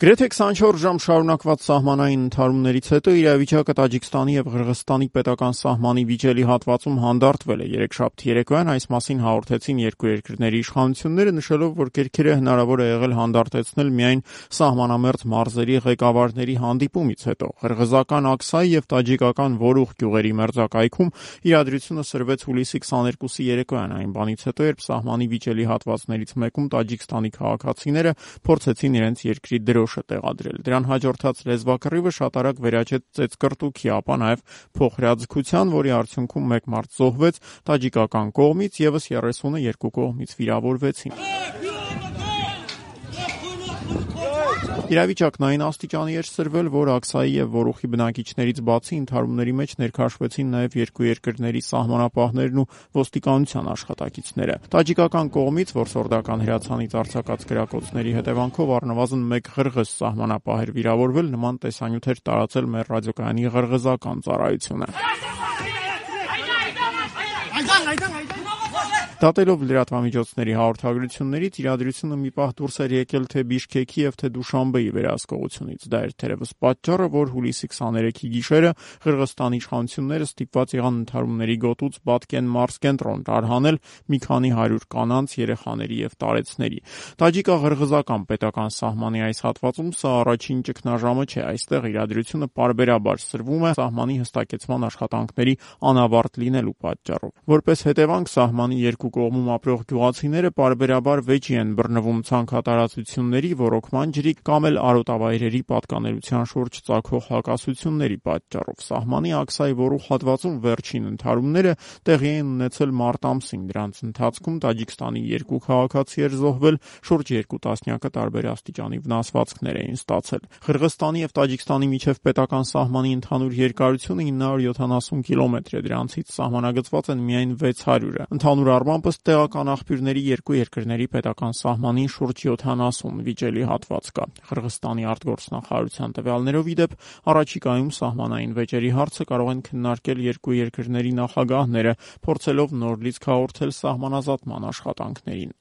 Գրեթե 24 ժամ շարունակված սահմանային ընդհարումներից հետո իրավիճակը Տաջիկստանի եւ Ղրղստանի պետական սահմանի վիճելի հատվածում հանդարտվել է։ Երեքշաբթի երեկոյան այս մասին հաղորդեցին երկու երկրների իշխանությունները, նշելով, որ կերքերը հնարավոր է եղել հանդարտեցնել միայն սահմանամերձ մարզերի ղեկավարների հանդիպումից հետո։ Ղրղզական Աքսայի եւ տաջիկական Որուխ գյուղերի մերձակայքում իրադրությունը սրվեց հուլիսի 22-ի երեկոյան, այն բանից հետո, երբ սահմանի վիճելի հատվածներից մեկում Տաջիկստանի քաղաքացիները փորձեցին իրենց երկրի դրոշը տեղադրել։ Դրան հաջորդած լեզվակռիվը շատ արագ վերաճեց ծեծկռտուքի, ապա նաև փոխհրաձգության, որի արդյունքում մեկ մարդ զոհվեց տաջիկական կողմից, եւս 30-ը երկու կողմից վիրավորվեցին։ Իրավիճակն այն աստիճանի էր սրվել, որ Աքսայի եւ Որուխի բնակիչներից բացի ընդհարումների մեջ ներքաշվեցին նաև երկու երկրների սահմանապահներն ու ոստիկանության աշխատակիցները։ Տաջիկական կողմից որսորդական հրացանից արձակած գրակոծների հետևանքով առնվազն մեկ ղրղըզ սահմանապահ էր վիրավորվել, նման տեսանյութ էր տարածել մեր ռադիոկայանի ղրղզական ծառայությունը։ Դատելով լրատվամիջոցների հաղորդագրություններից իրադրությունը մի պահ դուրս էր եկել թե Բիշքեքի եւ թե Դուշանբեի վերահսկողությունից։ Դա էր թերևս պատճառը, որ հուլիսի 23-ի գիշերը Ղրղստանի իշխանությունները ստիպված եղան ընդհարումների գոտուց Բատկեն մարզ կենտրոն տարհանել մի քանի 100 կանանց, երեխաների եւ տարեցների։ Տաջիկա-ղրղզական պետական սահմանի այս հատվածում սա առաջին ճգնաժամը չէ։ Այստեղ իրադրությունը պարբերաբար սրվում է սահմանի հստակեցման աշխատանքների անավարտ լինելու պատճառով։ Որպես հետևանք սահմանի երկու կողմում ապրող գյուղացիները պարբերաբար վեճի են բռնվում ցանքատարածությունների, ոռոգման ջրի կամ էլ արոտավայրերի պատկանելության շուրջ ծագող հակասությունների պատճառով։ Սահմանի Աքսայի Որուխ հատվածում վերջին ընդհարումները տեղի են ունեցել մարտ ամսին։ Դրանց ընթացքում Տաջիկստանի երկու քաղաքացի էր զոհվել, շուրջ 2 տասնյակը տարբեր աստիճանի վնասվածքներ էին ստացել։ Ղրղստանի եւ Տաջիկստանի միջև պետական սահմանի ընդհանուր երկարությունը 970 կիլոմետր է, դրանցից սահմանագծված են միայն 600-ը։ Ընդհանուր առմամբ ըստ տեղական աղբյուրների երկու երկրների պետական սահմանին շուրջ 70 վիճելի հատված կա։ Ղրղստանի արտգործնախարարության տվյալներով ի դեպ առաջիկայում սահմանային վեճերի հարցը կարող են քննարկել երկու երկրների նախագահները, փորձելով նոր լիցք հաղորդել սահմանազատման աշխատանքներին։